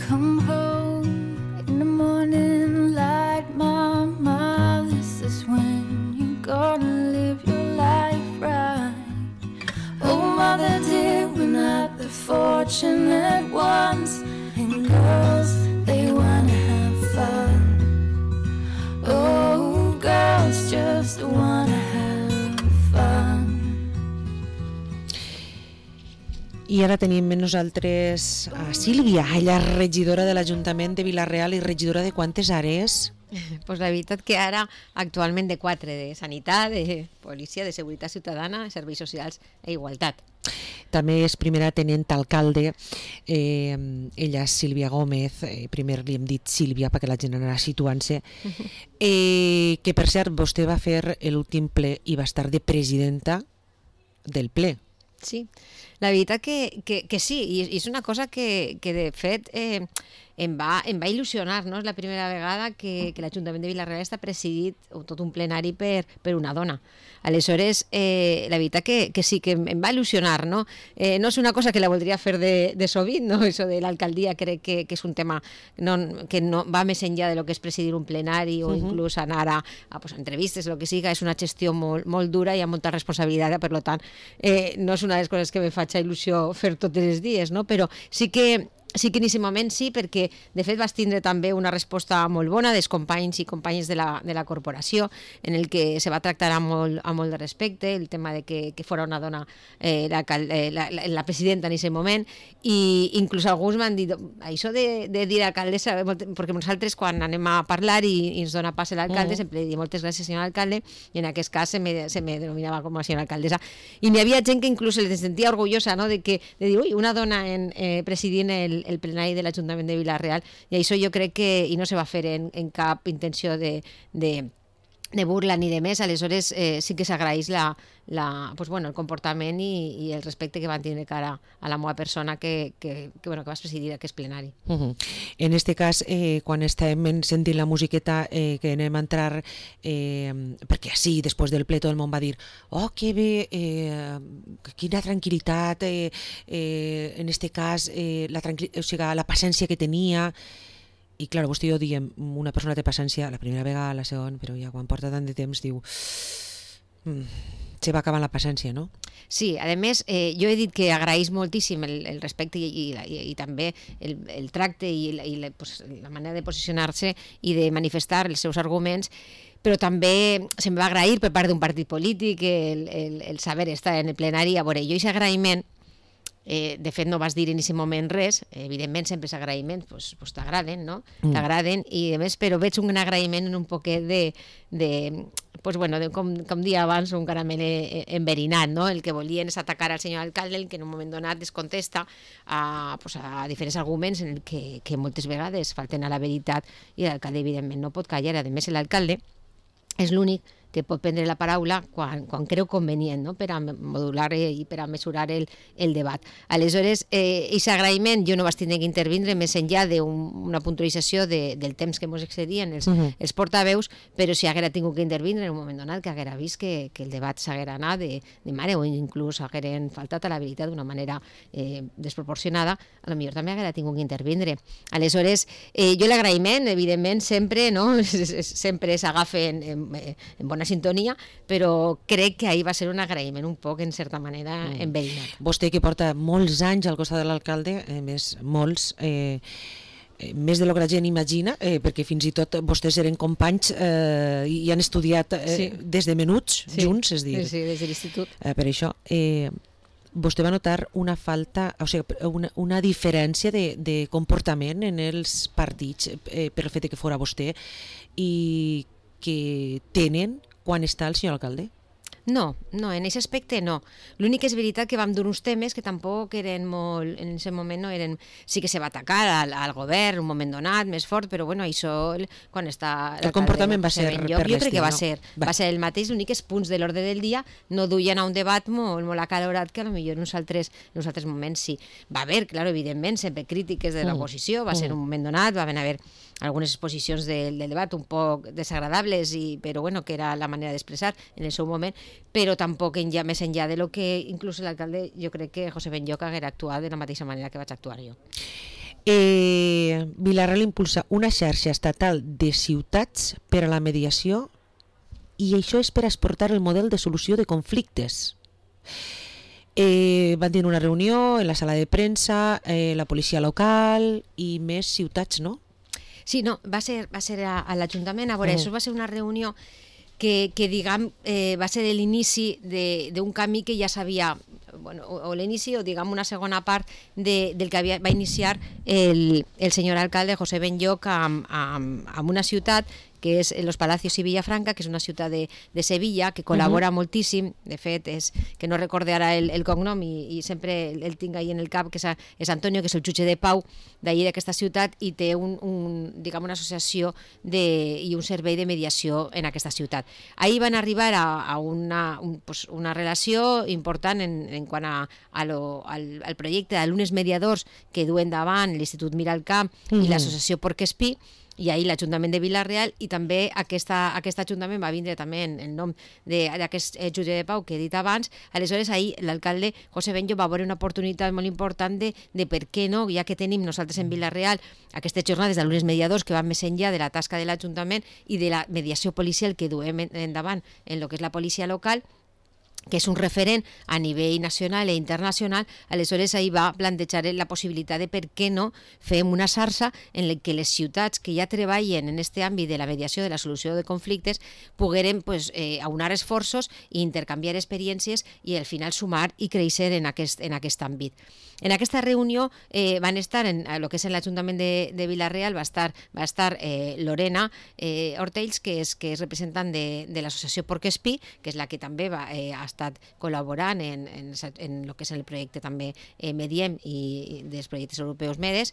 come home in the morning light, mama, this is when you're gonna live your life right. Oh, mother dear, we're not the fortunate ones, and girls, they wanna have fun. Oh, girls just wanna have fun. I ara tenim amb nosaltres a Sílvia, ella és regidora de l'Ajuntament de Vila-real i regidora de quantes àrees? Pues la veritat que ara actualment de 4, de sanitat, de policia, de seguretat ciutadana, serveis socials i igualtat. També és primera tenent alcalde, ella és Sílvia Gómez, primer li hem dit Sílvia perquè la gent anarà situant-se, que per cert vostè va fer l'últim ple i va estar de presidenta del ple. Sí, la veritat que sí, i és una cosa que de fet em va il·lusionar, no? És la primera vegada que l'Ajuntament de Vila-real està presidit, o tot un plenari, per una dona. Aleshores, la veritat que sí, que em va il·lusionar, no? No és una cosa que la voldria fer de sovint, no? Això de l'alcaldia crec que és un tema que no va més enllà de lo que és presidir un plenari o inclús anar a entrevistes, el que siga, és una gestió molt dura i amb molta responsabilitat, per tant, no és una de les coses que me faig il·lusió fer tots els dies, no? Però sí que en aquest moment sí, perquè de fet vas tindre també una resposta molt bona dels companys i companyes de la corporació, en el que se va tractar amb molt de respecte el tema de que fora una dona la presidenta en aquest moment, i inclús alguns m'han dit això de dir alcaldessa, perquè nosaltres quan anem a parlar i ens dona pas l'alcalde sempre li dic moltes gràcies senyor alcalde, i en aquest cas se me denominava com a senyora alcaldessa, i n'hi havia gent que inclús se sentia orgullosa, no? de dir, ui, una dona presidint el plenari de l'Ajuntament de Vila-real, i això jo crec que i no se va fer en cap intenció de burla ni de més. Aleshores sí que s'agraeix el comportament i el respecte que van tindre cara a la meva persona que vas presidir aquest plenari. En este cas, quan estàvem sentint la musiqueta que anem a entrar, perquè sí, després del ple tot el món va dir oh, que bé, quina tranquil·litat, en este cas la paciència que tenia. I clar, vostè i jo diem, una persona té paciència la primera vegada, la segona, però ja quan porta tant de temps diu se va acabant la paciència, no? Sí, a més, jo he dit que agraeix moltíssim el respecte i també el tracte i la manera de posicionar-se i de manifestar els seus arguments, però també se'm va agrair per part d'un partit polític el saber estar en el plenari. A veure, jo aquest agraïment, de fet no vas dir en aquest moment res, evidentment sempre els agraïments t'agraden, no? T'agraden, i a més però veig un agraïment en un poquet com dia abans, un caramel enverinat, no? El que volien és atacar al senyor alcalde, el que en un moment donat es contesta a diferents arguments en el que moltes vegades falten a la veritat, i l'alcalde evidentment no pot callar. A més, l'alcalde és l'únic que pot prendre la paraula quan creu convenient, no? Per a modular i per a mesurar el debat. Aleshores, aquest agraïment jo no vaig tenir que intervindre més enllà d'una puntualització del temps que ens excedien els portaveus, però si haguera tingut que intervindre en un moment donat, que haguera vist que el debat s'haguera anat de mare o inclús hagueren faltat a la veritat d'una manera desproporcionada, a lo millor també haguera tingut que intervindre. Aleshores, jo l'agraïment, evidentment, sempre s'agafa en bona sintonia, però crec que ahir va ser un agraïment un poc, en certa manera, enverinat. Vostè que porta molts anys al costat de l'alcalde, més molts, més de lo que la gent imagina, perquè fins i tot vostès eren companys i han estudiat des de menuts junts, és dir. Sí, des de l'institut. Per això, vostè va notar una falta, o sigui, una diferència de comportament en els partits per el fet que fora vostè i que tenen quan està el senyor alcalde? No, en aquest aspecte no. L'únic que és veritat que vam dur uns temes que tampoc eren molt, en aquest moment no eren, sí que se va atacar al govern un moment donat, més fort, però bueno, això quan està... El comportament va ser per l'estil, jo crec que va ser el mateix, l'únic que els punts de l'ordre del dia no duien a un debat molt acalorat, que potser en uns altres moments sí. Va haver, clar, evidentment, sempre crítiques de l'oposició, va ser un moment donat, va haver algunes exposicions del debat un poc desagradables, però bueno, que era la manera d'expressar en el seu moment, però tampoc més enllà de lo que inclús l'alcalde, jo crec que José Benlloc haguera actuat de la mateixa manera que vaig actuar jo. Vila-real impulsa una xarxa estatal de ciutats per a la mediació i això és per exportar el model de solució de conflictes. Van tenir una reunió en la sala de premsa, la policia local i més ciutats, no? Sí, no, va ser a l'Ajuntament. A veure, això va ser una reunió que diguem, va ser l'inici d'un camí que ja s'havia, bueno, o l'inici o diguem una segona part del que va iniciar el senyor alcalde José Benlloch amb una ciutat que és Los Palacios i Villafranca, que és una ciutat de Sevilla, que col·labora moltíssim. De fet, és que no recorde ara el cognom i sempre el tinc ahí en el cap, que és Antonio, que és el jutge de pau d'allí d'aquesta ciutat i té diguem, una associació i un servei de mediació en aquesta ciutat. Ahir van arribar a una relació important en quant al projecte d'alumnes mediadors que duen davant l'Institut Miralcamp i l'associació Porc Espí, i ahir l'Ajuntament de Vila-real, i també aquest Ajuntament va vindre també en nom d'aquest jutge de pau que he dit abans. Aleshores, ahir l'alcalde José Benlloch va veure una oportunitat molt important de per què no, ja que tenim nosaltres en Vila-real aquestes jornades d'alumnes mediadors que van més enllà de la tasca de l'Ajuntament i de la mediació policial que duem endavant en el que és la policia local, que és un referent a nivell nacional i internacional. Aleshores ahir va plantejar la possibilitat de per què no fem una xarxa en la que les ciutats que ja treballen en aquest àmbit de la mediació, de la solució de conflictes, pogueren aunar esforços i intercanviar experiències i al final sumar i créixer en aquest àmbit. En aquesta reunió van estar, en el que és l'Ajuntament de Vila-real, va estar Lorena Ortells, que és representant de l'associació Porc Espí, que és la que també ha estat col·laborant en el que és el projecte també Mediem i dels projectes europeus MEDES,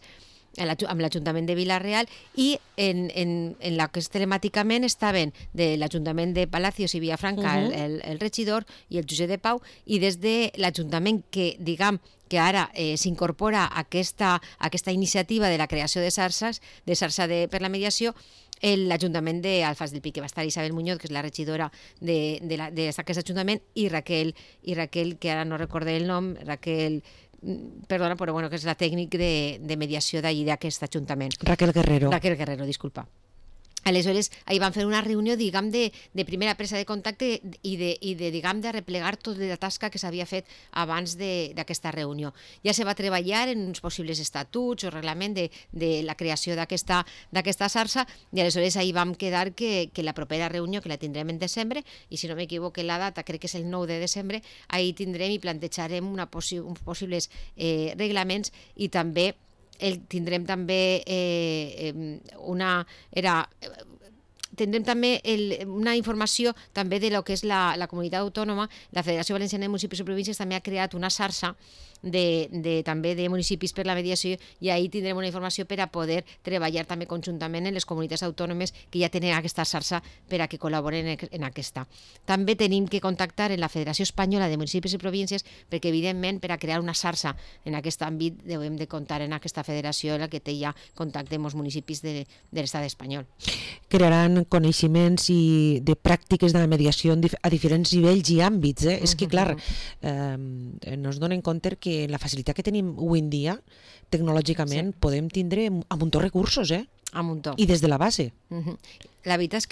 amb l'Ajuntament de Vila-real, i en la que telemàticament estaven de l'Ajuntament de Palacios i Villafranca el regidor i el jutge de pau, i des de l'Ajuntament que diguem que ara s'incorpora a aquesta iniciativa de la creació de xarxa per la mediació, l'Ajuntament d'Alfàs del Pi, que va estar Isabel Muñoz, que és la regidora d'aquest Ajuntament, i Raquel, que ara no recordé el nom, perdona, però bueno, que és la tècnic de mediació d'allí d'aquest Ajuntament. Raquel Guerrero, disculpa. Aleshores, ahir van fer una reunió, diguem, de primera presa de contacte i diguem, de replegar tota la tasca que s'havia fet abans d'aquesta reunió. Ja se va treballar en uns possibles estatuts o reglament de la creació d'aquesta xarxa, i aleshores ahir vam quedar que la propera reunió, que la tindrem en desembre, i si no m'equivoco la data, crec que és el 9 de desembre, ahir tindrem i plantejarem uns possibles reglaments, i també tindrem també una informació també de lo que és la comunitat autònoma. La Federació Valenciana de Municipis i Províncies també ha creat una xarxa també de municipis per la mediació, i ahir tindrem una informació per a poder treballar també conjuntament en les comunitats autònomes que ja tenen aquesta xarxa per a que col·laboren en aquesta. També tenim que contactar en la Federació Espanyola de Municipis i Províncies, perquè evidentment per a crear una xarxa en aquest àmbit devem de comptar en aquesta federació en la que té ja contacte amb els municipis de l'estat espanyol. Crearan coneixements i de pràctiques de la mediació a diferents nivells i àmbits. És que, clar, no es donen compte que la facilitat que tenim avui en dia, tecnològicament, podem tindre a muntó recursos, a muntó. I des de la base. La veritat és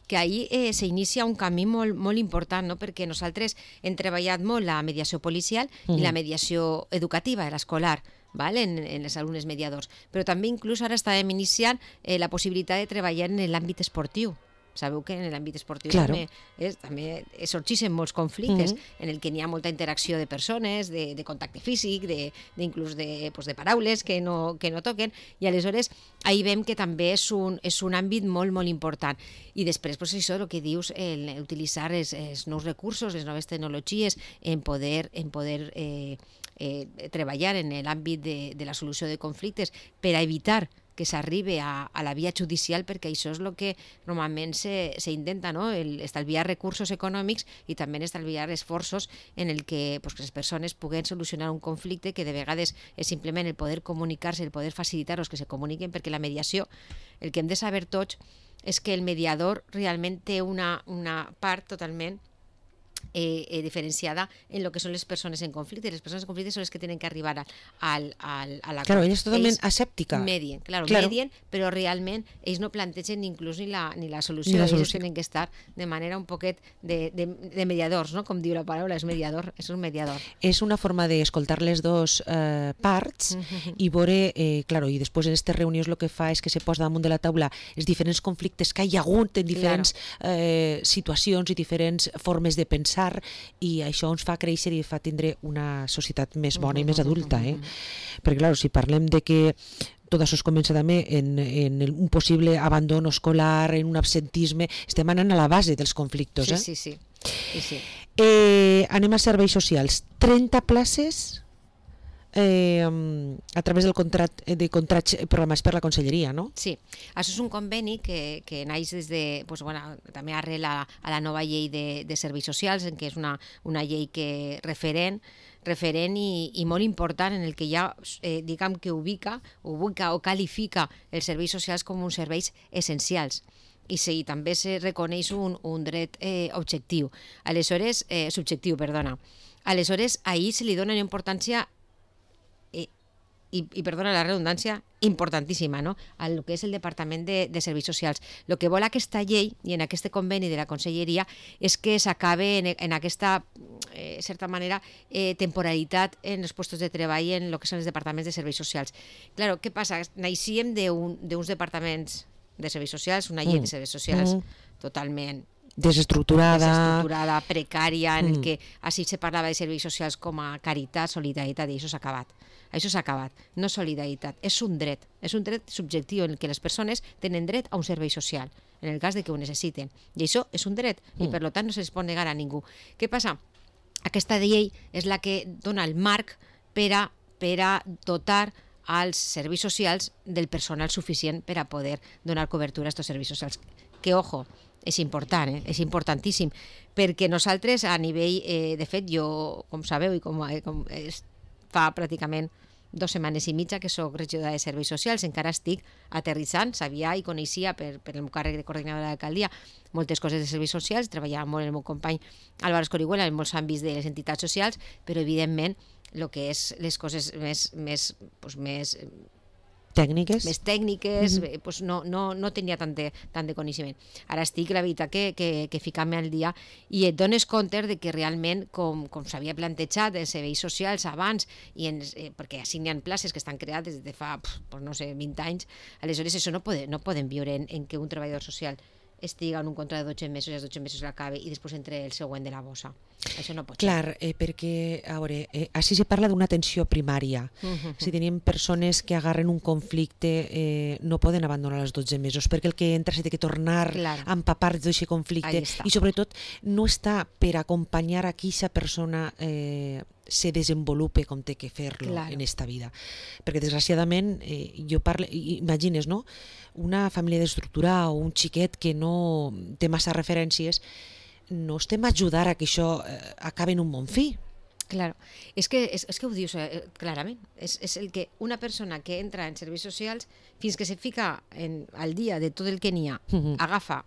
que ahir s'inicia un camí molt, molt important, no? Perquè nosaltres hem treballat molt la mediació policial i la mediació educativa, l'escolar, en els alumnes mediadors, però també inclús ara estàvem iniciant la possibilitat de treballar en l'àmbit esportiu. Sabeu que en l'àmbit esportiu també sorgeixen molts conflictes en el que n'hi ha molta interacció de persones, de contacte físic, inclús de paraules que no toquen, i aleshores ahir veiem que també és un àmbit molt, molt important. I després, això, el que dius, utilitzar els nous recursos, les noves tecnologies, en poder treballar en l'àmbit de la solució de conflictes per a evitar que s'arribi a la via judicial, perquè això és el que normalment s'intenta, no? Estalviar recursos econòmics i també estalviar esforços en el que les persones puguen solucionar un conflicte que de vegades és simplement el poder comunicar-se, el poder facilitar-los que se comuniquen, perquè la mediació, el que hem de saber tots és que el mediador realment té una part totalment diferenciada en lo que son les persones en conflicte. Les persones en conflicte són les que tenen que arribar a la... Claro, ella és totalment asèptica. Medien, medien, però realment ells no plantegen inclús ni la solució. Ells tenen que estar de manera un poquet de mediadors, no? Com diu la paraula, és mediador, és un mediador. És una forma d'escoltar les dos parts i veure, claro, i després en aquestes reunions el que fa és que se posa damunt de la taula els diferents conflictes que hi ha hagut en diferents situacions i diferents formes de pensar, i això ens fa créixer i fa tindre una societat més bona i més adulta, perquè clar, si parlem de que tot això es comença també en un possible abandono escolar, en un absentisme, estem anant a la base dels conflictes. Sí. Anem a serveis socials. 30 places a través del contrats programats per la Conselleria, no? Sí, això és un conveni que naix des de, també arrel a la nova llei de serveis socials, en què és una llei que referent i molt important, en el que ja diguem que ubica o qualifica els serveis socials com uns serveis essencials. I sí, també se reconeix un dret subjectiu. Aleshores, ahir se li dona una importància i perdona la redundància, importantíssima, no? El que és el Departament de Serveis Socials. El que vol aquesta llei i en aquest conveni de la Conselleria és que s'acabe en aquesta, certa manera, temporalitat en els llocs de treball en el que són els departaments de serveis socials. Claro, què passa? Naixíem d'uns departaments de serveis socials, una llei de serveis socials totalment desestructurada, precària, en el que així se parlava de serveis socials com a caritat, solidaritat, i això s'ha acabat. Això s'ha acabat, no solidaritat, és un dret subjectiu en què les persones tenen dret a un servei social, en el cas de que ho necessiten. I això és un dret, i per tant no se'ls pot negar a ningú. Què passa? Aquesta llei és la que dona el marc per a dotar als serveis socials del personal suficient per a poder donar cobertura a aquests serveis socials. Que, ojo, és important, és importantíssim, perquè nosaltres a nivell, de fet, jo, com sabeu, i com fa pràcticament 2 setmanes i mitja que soc regidora de serveis socials, encara estic aterrissant, sabia i coneixia per el meu càrrec de coordinadora de l'alcaldia moltes coses de serveis socials, treballava molt el meu company Álvaro Escorihuela en molts àmbits de les entitats socials, però evidentment el que és les coses més tècniques, no tenia tant de coneixement. Ara estic, la veritat, que ficant-me al dia i et dones compte de que realment, com s'havia plantejat en serveis socials abans, perquè així n'hi ha places que estan creades des de fa, 20 anys, aleshores això no poden viure en què un treballador social estiga en un contracte de 12 mesos i els 12 mesos l'acabe i després entre el següent de la bossa. Això no pot ser. Clar, perquè, a veure, així se parla d'una atenció primària. Si tenim persones que agarren un conflicte, no poden abandonar els 12 mesos, perquè el que entra s'ha de tornar a empapar d'aquest conflicte i sobretot no està per acompanyar a aquesta persona se desenvolupe com té que fer-lo en esta vida. Perquè desgraciadament, imagines, no? Una família destructurada o un xiquet que no té massa referències, no estem a ajudar a que això acabi en un bon fi. Claro, és que ho dius clarament, és el que una persona que entra en serveis socials fins que se fica al dia de tot el que n'hi ha, agafa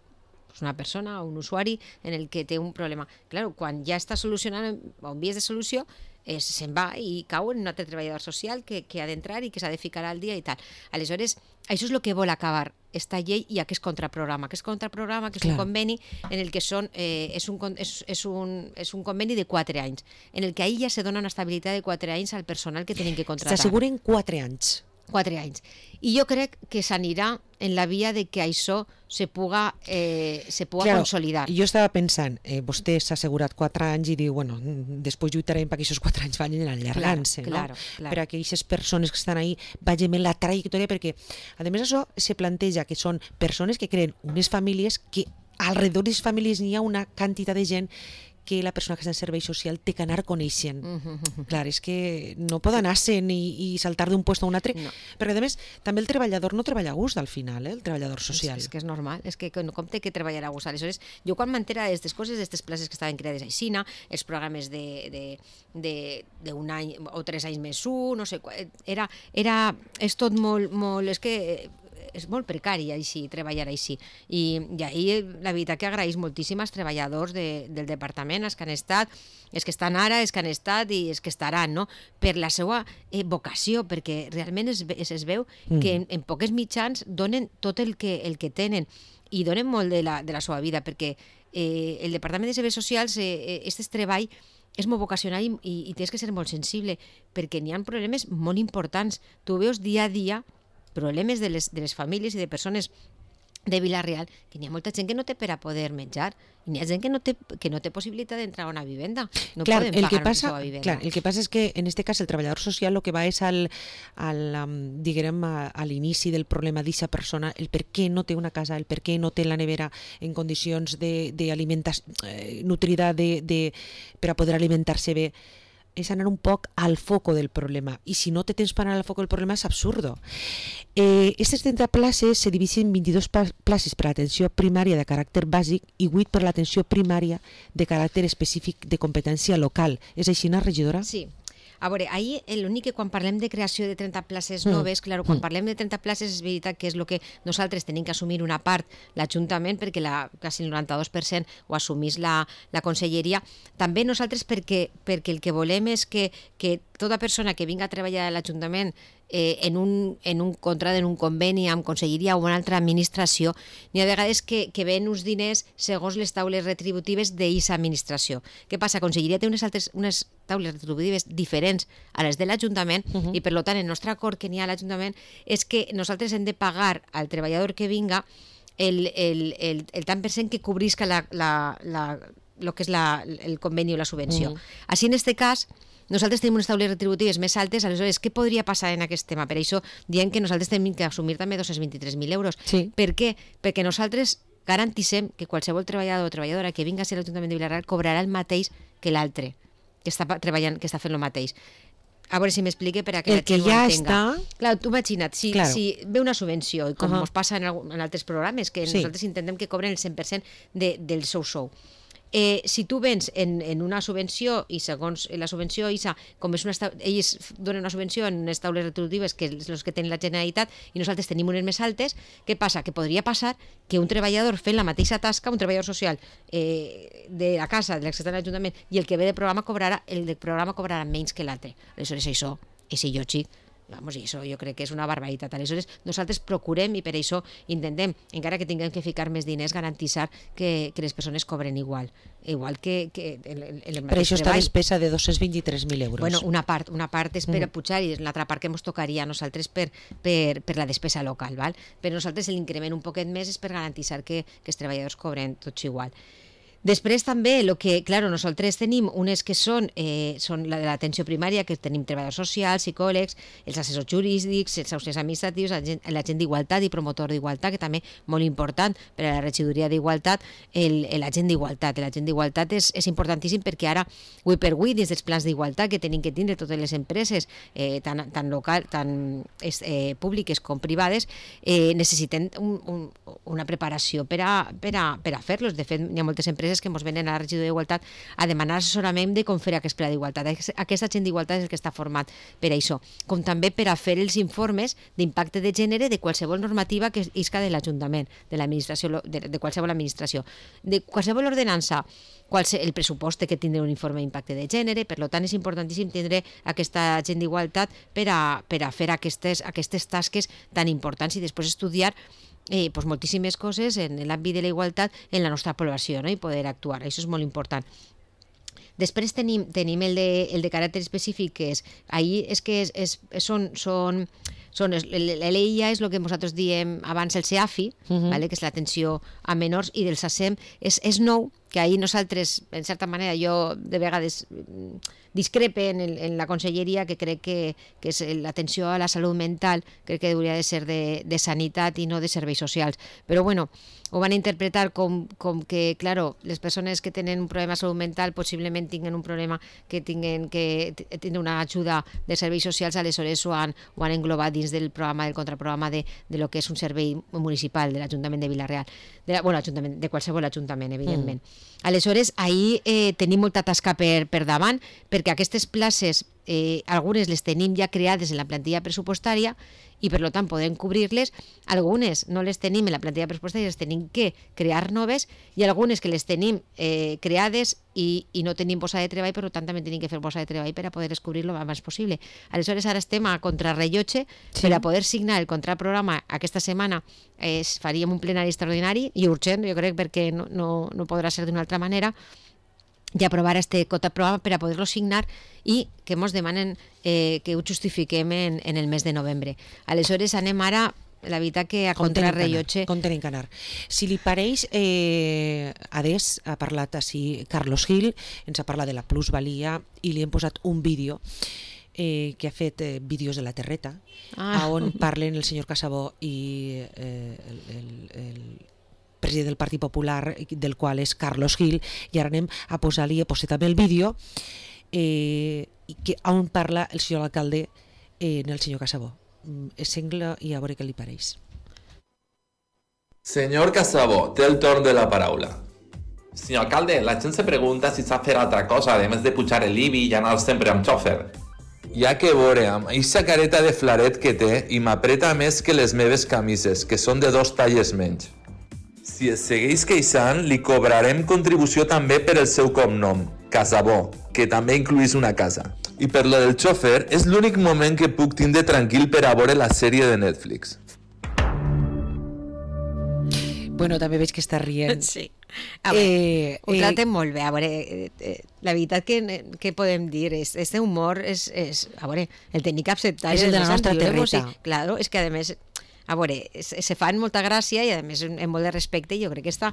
una persona o un usuari en el que té un problema. Claro, quan ja està solucionant o en vies de solució, se'n va i cau en un altre treballador social que ha d'entrar i que s'ha de ficar al dia i tal. Aleshores, això és el que vol acabar esta llei i aquest contraprograma. Aquest contraprograma, que és un conveni en el que és un conveni de 4 anys, en el que ahir ja se dona una estabilitat de 4 anys al personal que tenen que contratar. S'asseguren 4 anys. 4 anys. I jo crec que s'anirà en la via de que això se puga consolidar. Jo estava pensant, vostè s'ha assegurat 4 anys i diu, bueno, després lluitarem perquè aquests 4 anys vagin allargant-se, no? Per a que aquestes persones que estan ahí vagin en la trajectòria, perquè a més això se planteja que són persones que creen unes famílies que alrededor de les famílies n'hi ha una quantitat de gent que la persona que està en servei social té que anar coneixent. Clar, és que no pot anar-se'n i saltar d'un lloc a un altre, perquè a més també el treballador no treballa a gust al final, el treballador social. És que és normal, és que com té que treballar a gust. Aleshores, jo quan m'entera d'aquestes coses, d'aquestes places que estaven creades a Aixina, els programes d'un any o 3 anys més no sé, és tot molt, és que és molt precari així, treballar així. I ahir la veritat que agraeix moltíssim als treballadors del departament, els que han estat, els que estan ara, els que han estat i els que estaran, no? Per la seva vocació, perquè realment es veu que en poques mitjans donen tot el que tenen i donen molt de la seva vida, perquè el Departament de Serveis Socials, aquest treball és molt vocacional i tens que ser molt sensible, perquè n'hi ha problemes molt importants. Tu veus dia a dia problemes de les famílies i de persones de Vila-real, que n'hi ha molta gent que no té per a poder menjar, i n'hi ha gent que no té possibilitat d'entrar a una vivenda. No poden pagar una seva vivenda. Clar, el que passa és que en este cas el treballador social el que va és diguem, a l'inici del problema d'aquesta persona, el per què no té una casa, el per què no té la nevera en condicions d'alimentació nutrida per a poder alimentar-se bé, és anar un poc al foco del problema. I si no te tens per anar al foco del problema és absurdo. Aquestes 30 places se divisen en 22 places per a l'atenció primària de caràcter bàsic i 8 per a l'atenció primària de caràcter específic de competència local. És així, regidora? Sí. A veure, ahir l'únic que quan parlem de creació de 30 places noves, quan parlem de 30 places és veritat que és el que nosaltres tenim que assumir una part l'Ajuntament, perquè quasi el 92% ho assumís la Conselleria. També nosaltres perquè el que volem és que tota persona que vinga a treballar a l'Ajuntament en un contracte, en un conveni amb Conselleria o una altra administració, n'hi ha vegades que ven uns diners segons les taules retributives d'aquesta administració. Què passa? Conselleria té unes taules retributives diferents a les de l'Ajuntament i per tant el nostre acord que n'hi ha a l'Ajuntament és que nosaltres hem de pagar al treballador que vinga el tant per cent que cobrisca el que és el conveni o la subvenció. Així, en aquest cas, nosaltres tenim unes taules retributives més altes, aleshores, què podria passar en aquest tema? Per això diem que nosaltres tenim que assumir també 223.000 euros. Sí. Per què? Perquè nosaltres garantissem que qualsevol treballador o treballadora que vinga a ser l'Ajuntament de Vila-real cobrarà el mateix que l'altre, que està treballant, que està fent el mateix. A veure si m'explique per a que el la gent que ja ho entenga. està... Clar, tu imagina't, si ve una subvenció, i com ens passa en altres programes, que nosaltres intentem que cobren el 100% del seu sou. Si tu vens en una subvenció i segons la subvenció, com és ells donen una subvenció en unes taules retributives que és els que tenen la Generalitat i nosaltres tenim unes més altes, què passa? Que podria passar que un treballador fent la mateixa tasca, un treballador social de la casa, de l'accés a l'Ajuntament, i el que ve de programa cobrarà menys que l'altre. Aleshores això és il·lògic. Vamos, i això jo crec que és una barbaritat. Aleshores, nosaltres procurem i per això intentem, encara que tinguem que ficar més diners, garantir que les persones cobren igual que el mateix treball. Per això està despesa de 223.000 euros. Bueno, una part és per a pujar i l'altra part que ens tocaria a nosaltres per la despesa local, val? Però nosaltres l'increment un poquet més és per garantir que els treballadors cobren tots igual. Després també, nosaltres tenim unes que són la de l'atenció primària, que tenim treballadors socials, psicòlegs, els assessors jurídics, els auxiliars administratius, l'agent d'igualtat i promotor d'igualtat, que també molt important per a la regidoria d'igualtat, l'agent d'igualtat. L'agent d'igualtat és importantíssim perquè ara, avui per avui, dins dels plans d'igualtat que tenim que tindre totes les empreses, tant local, tant públiques com privades, necessiten una preparació per a fer-los. De fet, hi ha moltes empreses que ens venen a la regidoria d'igualtat a demanar assessorament de com fer aquest pla d'igualtat. Aquesta agent d'igualtat és el que està format per a això, com també per a fer els informes d'impacte de gènere de qualsevol normativa que isca de l'Ajuntament, de l'administració, de qualsevol administració, de qualsevol ordenança. El pressupost té que tindre un informe d'impacte de gènere, per tant és importantíssim tindre aquesta agent d'igualtat per a fer aquestes tasques tan importants i després estudiar moltíssimes coses en l'àmbit de la igualtat en la nostra població, no? I poder actuar, això és molt important. Després tenim el de caràcter específic, que l'EIA és el que nosaltres diem abans el CEAFI, que és l'atenció a menors, i del SACEM és nou, que ahir nosaltres, en certa manera, jo de vegades discrepe en la Conselleria, que crec que és l'atenció a la salut mental, crec que hauria de ser de sanitat i no de serveis socials. Però bueno, ho van interpretar com que, claro, les persones que tenen un problema de salut mental possiblement tinguen un problema que tinguen que tindre una ajuda de serveis socials, aleshores ho han englobat dins del programa, del contraprograma de lo que és un servei municipal de l'Ajuntament de Vila-real, de qualsevol ajuntament, evidentment. Aleshores, ahir tenim molta tasca per davant, perquè aquestes places, algunes les tenim ja creades en la plantilla pressupostària i per tant podem cobrir-les. Algunes no les tenim en la plantilla pressupostària, les tenim que crear noves, i algunes que les tenim creades i no tenim posada de treball, per tant també tenim que fer posada de treball per a poder descobrir-lo el més possible. Aleshores ara estem a contrarrellotge per a poder signar el contracte programa aquesta setmana. Faríem un plenari extraordinari i urgent, jo crec, perquè no podrà ser d'una altra manera, i aprovar este contracte programa per a poder-lo signar i que ens demanen que ho justifiquem en el mes de novembre. Aleshores anem ara, la veritat que a contrarrellotge... Com tenim que anar. Si li pareix, adés ha parlat així Carlos Gil, ens ha parlat de la plusvalia i li hem posat un vídeo que ha fet vídeos de la Terreta, on parlen el senyor Casabó i el president del Partit Popular, del qual és Carlos Gil, i ara anem a posar-li, he posat també el vídeo on parla el senyor alcalde en el senyor Casabó. Sengla i a veure què li pareix. Senyor Casabó, té el torn de la paraula. Senyor alcalde, la gent se pregunta si s'ha fet altra cosa, a més de pujar l'IBI i anar sempre amb xòfer. Ja que veure, amb eixa careta de flaret que té i m'apreta més que les meves camises, que són de 2 talles menys. Si es segueix queixant, li cobrarem contribució també per el seu cognom, Casabó, que també incluís una casa. I per lo del xòfer, és l'únic moment que puc tindre tranquil per a veure la sèrie de Netflix. Bueno, també veig que està rient. Sí. A veure, ho tratem molt bé. A veure, la veritat que podem dir és este humor és a veure, el tenir que acceptar és el de la nostra Terreta. Sí, claro, és que a més a veure, se fan molta gràcia i a més amb molt de respecte, i jo crec que està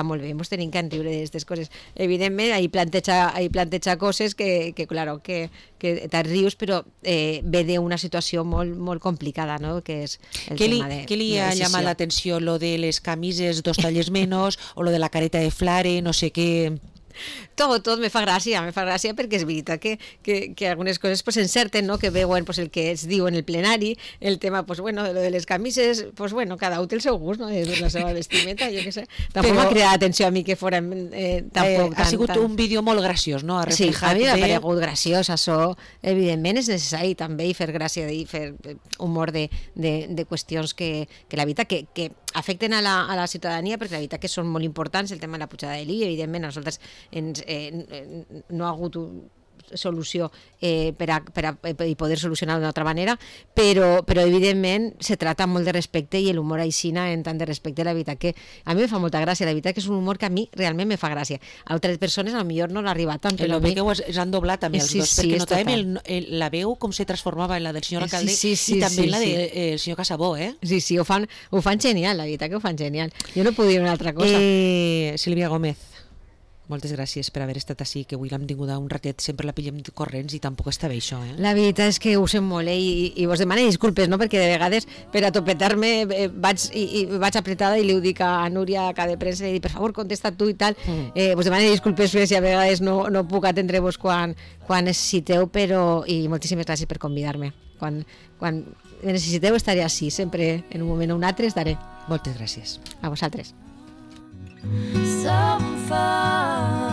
molt bé, ens tenim que enriure d'aquestes coses. Evidentment, ahí planteja coses que claro, que te rius, però ve d'una situació molt complicada, no? Que és el tema de... ¿Qué le ha llamado la atención? ¿Lo de les camises 2 talles menos o lo de la careta de flare, no sé qué? Tot me fa gràcia perquè és veritat que algunes coses pues encerten, no? Que veuen pues el que es diu en el plenari, el tema pues bueno, de les camises, pues bueno, cada un té el seu gust, no? De la seva vestimenta, jo què sé. Tampoc m'ha cridat atenció a mi que fórem tampoc ha sigut un vídeo molt graciós, no? Sí, a mi m'ha paregut graciós, això evidentment és necessari també, i fer gràcia i fer humor de qüestions que la veritat que afecten a la ciutadania, perquè la veritat que són molt importants, el tema de la pujada de l'IBI, evidentment a nosaltres no ha hagut solució per a poder solucionar d'una altra manera, però evidentment se trata molt de respecte, i l'humor aixina en tant de respecte, la veritat que a mi me fa molta gràcia, la veritat que és un humor que a mi realment me fa gràcia. A altres persones a lo millor no l'arriba tant, però el que s'han doblat també els dos, perquè notàvem la veu com se transformava en la del senyor alcalde i també en la del senyor Casabó, Sí, ho fan genial, la veritat que ho fan genial. Jo no puc dir una altra cosa. Sílvia Gómez, moltes gràcies per haver estat així, que avui l'hem tingut un ratet, sempre la pillem corrents i tampoc està bé això, La veritat és que ho sent molt, i vos demano disculpes, no? Perquè de vegades per a topetar-me vaig apretada i li ho dic a Núria, a cada premsa, i dic, per favor, contesta tu i tal. Vos demano disculpes si a vegades no puc atendre-vos quan necessiteu, i moltíssimes gràcies per convidar-me. Quan necessiteu estaré així, sempre en un moment o un altre estaré. Moltes gràcies. So A vosaltres. far